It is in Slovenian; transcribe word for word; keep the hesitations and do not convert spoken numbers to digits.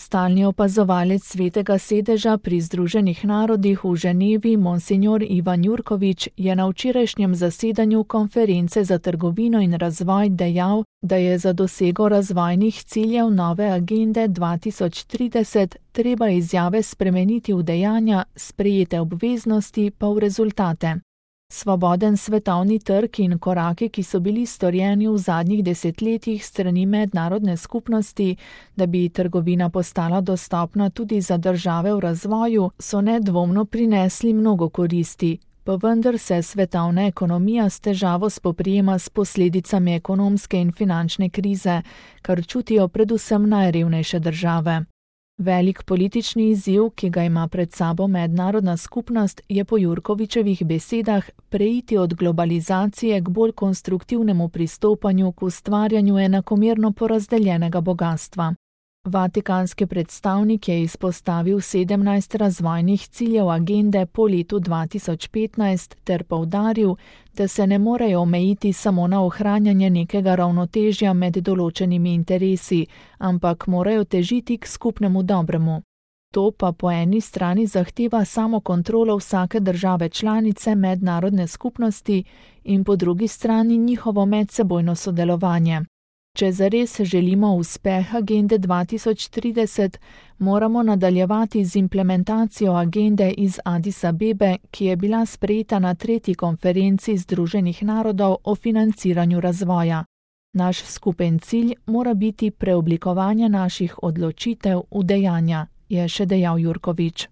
Stalni opazovalec Svetega sedeža pri Združenih narodih v Ženevi, monsignor Ivan Jurkovič, je na včerajšnjem zasedanju konference za trgovino in razvoj dejal, da je za dosego razvojnih ciljev nove agende dva tisoč trideset treba izjave spremeniti v dejanja, sprejete obveznosti pa v rezultate. Svoboden svetovni trg in koraki, ki so bili storjeni v zadnjih desetletjih strani mednarodne skupnosti, da bi trgovina postala dostopna tudi za države v razvoju, so nedvomno prinesli mnogo koristi, pa vendar se svetovna ekonomija s težavo spoprijema s posledicami ekonomske in finančne krize, kar čutijo predvsem najrevnejše države. Velik politični izziv, ki ga ima pred sabo mednarodna skupnost, je po Jurkovičevih besedah preiti od globalizacije k bolj konstruktivnemu pristopanju k ustvarjanju enakomerno porazdeljenega bogastva. Vatikanski predstavnik je izpostavil sedemnajst razvojnih ciljev agende po letu dva tisoč petnajst ter poudaril, da se ne morejo omejiti samo na ohranjanje nekega ravnotežja med določenimi interesi, ampak morajo težiti k skupnemu dobremu. To pa po eni strani zahteva samo kontrolo vsake države članice mednarodne skupnosti in po drugi strani njihovo medsebojno sodelovanje. Če zares želimo uspeh agende dva tisoč trideset, moramo nadaljevati z implementacijo agende iz Adis Abebe, ki je bila sprejeta na tretji konferenci Združenih narodov o financiranju razvoja. Naš skupen cilj mora biti preoblikovanje naših odločitev v dejanja, je še dejal Jurkovič.